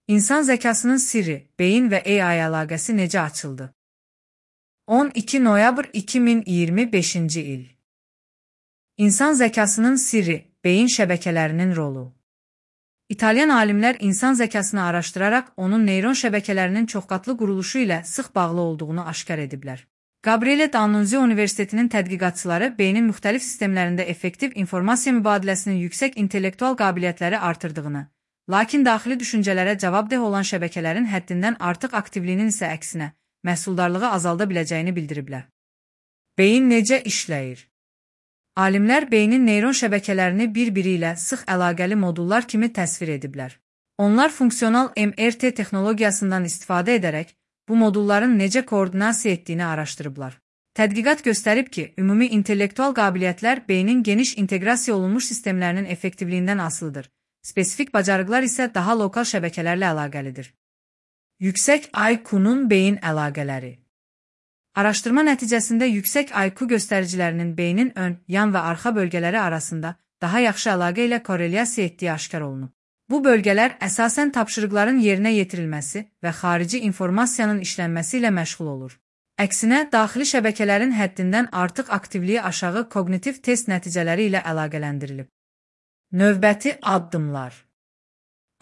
İnsan zəkasının sirri, beyin və AI əlaqəsi necə açıldı? 12 noyabr 2025-ci il. İnsan zəkasının sirri, beyin şəbəkələrinin rolu. İtalyan alimlər insan zəkasını araşdıraraq onun neyron şəbəkələrinin çoxqatlı quruluşu ilə sıx bağlı olduğunu aşkar ediblər. Gabriele D'Annunzio Universitetinin tədqiqatçıları beynin müxtəlif sistemlərində effektiv informasiya mübadiləsinin yüksək intellektual qabiliyyətləri artırdığını, lakin daxili düşüncələrə cavabdeh olan şəbəkələrin həddindən artıq aktivliyinin isə əksinə, məhsuldarlığı azalda biləcəyini bildiriblər. Beyin necə işləyir? Alimlər beynin neyron şəbəkələrini bir-biri ilə sıx əlaqəli modullar kimi təsvir ediblər. Onlar funksional MRT texnologiyasından istifadə edərək, bu modulların necə koordinasiya etdiyini araşdırıblar. Tədqiqat göstərib ki, ümumi intellektual qabiliyyətlər beynin geniş inteqrasiya olunmuş sistemlərinin effektivliyindən asılıdır. Spesifik bacarıqlar isə daha lokal şəbəkələrlə əlaqəlidir. Yüksək IQ-nun beyin əlaqələri. Araşdırma nəticəsində yüksək IQ göstəricilərinin beynin ön, yan və arxa bölgələri arasında daha yaxşı əlaqə ilə korrelyasiya etdiyi aşkar olunub. Bu bölgələr əsasən tapşırıqların yerinə yetirilməsi və xarici informasiyanın işlənməsi ilə məşğul olur. Əksinə, daxili şəbəkələrin həddindən artıq aktivliyi aşağı koqnitiv test nəticələri ilə əlaqələndirilib. Növbəti addımlar.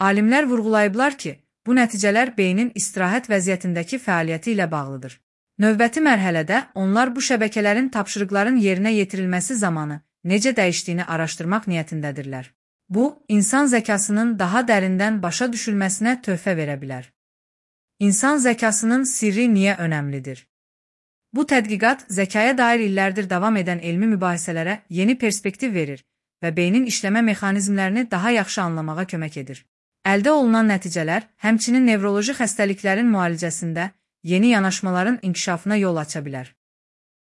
Alimlər vurğulayıblar ki, bu nəticələr beynin istirahət vəziyyətindəki fəaliyyəti ilə bağlıdır. Növbəti mərhələdə onlar bu şəbəkələrin tapşırıqların yerinə yetirilməsi zamanı necə dəyişdiyini araşdırmaq niyyətindədirlər. Bu, insan zəkasının daha dərindən başa düşülməsinə töhfə verə bilər. İnsan zəkasının sirri niyə önəmlidir? Bu tədqiqat zəkaya dair illərdir davam edən elmi mübahisələrə yeni perspektiv verir və beynin işləmə mexanizmlərini daha yaxşı anlamağa kömək edir. Əldə olunan nəticələr həmçinin nevroloji xəstəliklərin müalicəsində yeni yanaşmaların inkişafına yol aça bilər.